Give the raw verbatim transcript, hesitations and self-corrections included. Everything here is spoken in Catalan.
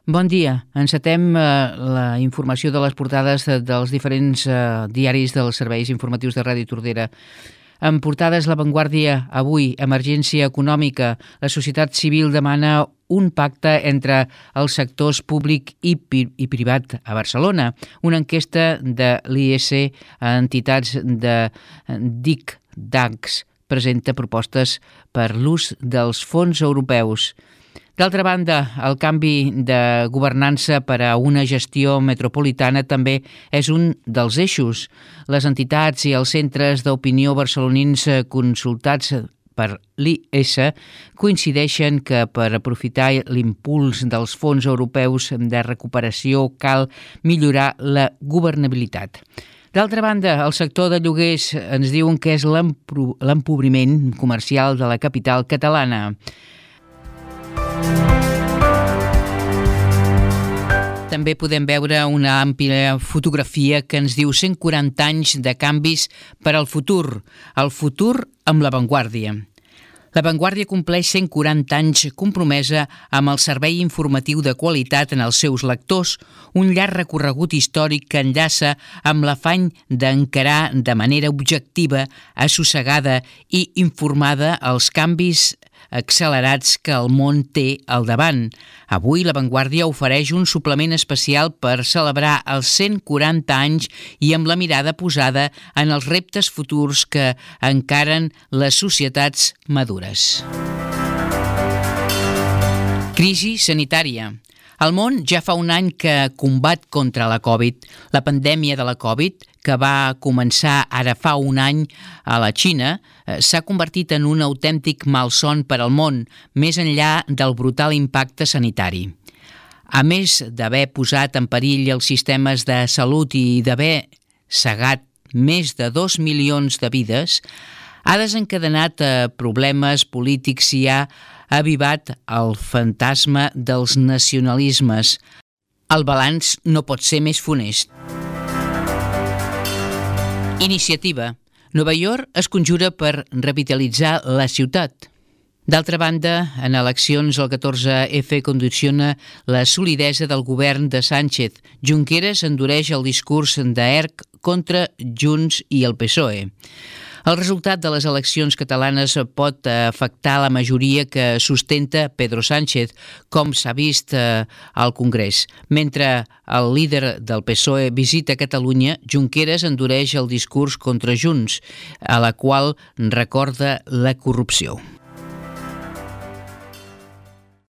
Bon dia. Encetem eh, la informació de les portades de, dels diferents eh, diaris dels serveis informatius de Ràdio Tordera. En portades, La Vanguardia, avui, emergència econòmica. La societat civil demana un pacte entre els sectors públic i, pi i privat a Barcelona. Una enquesta de l'I E S a entitats de D I C, D A Cs, presenta propostes per l'ús dels fons europeus. D'altra banda, el canvi de governança per a una gestió metropolitana també és un dels eixos. Les entitats i els centres d'opinió barcelonins consultats per l'I E S coincideixen que per aprofitar l'impuls dels fons europeus de recuperació cal millorar la governabilitat. D'altra banda, el sector de lloguers ens diuen que és l'empobriment comercial de la capital catalana. També podem veure una àmplia fotografia que ens diu cent quaranta anys de canvis per al futur. El futur amb La Vanguardia. La Vanguardia compleix cent quaranta anys compromesa amb el servei informatiu de qualitat en els seus lectors, un llarg recorregut històric que enllaça amb l'afany d'encarar de manera objectiva, assossegada i informada els canvis accelerats que el món té al davant. Avui La Vanguardia ofereix un suplement especial per celebrar els cent quaranta anys i amb la mirada posada en els reptes futurs que encaren les societats madures. Crisi sanitària. El món ja fa un any que combat contra la Covid. La pandèmia de la Covid, que va començar ara fa un any a la Xina, s'ha convertit en un autèntic malson per al món, més enllà del brutal impacte sanitari. A més d'haver posat en perill els sistemes de salut i d'haver cegat més de dos milions de vides, ha desencadenat problemes polítics i ha avivat el fantasma dels nacionalismes. El balanç no pot ser més funest. Iniciativa. Nova York es conjura per revitalitzar la ciutat. D'altra banda, en eleccions el catorze efa condiciona la solidesa del govern de Sánchez. Junqueras endureix el discurs d'Erc contra Junts i el P S O E. El resultat de les eleccions catalanes pot afectar la majoria que sustenta Pedro Sánchez, com s'ha vist al Congrés. Mentre el líder del P S O E visita Catalunya, Junqueras endureix el discurs contra Junts, a la qual recorda la corrupció.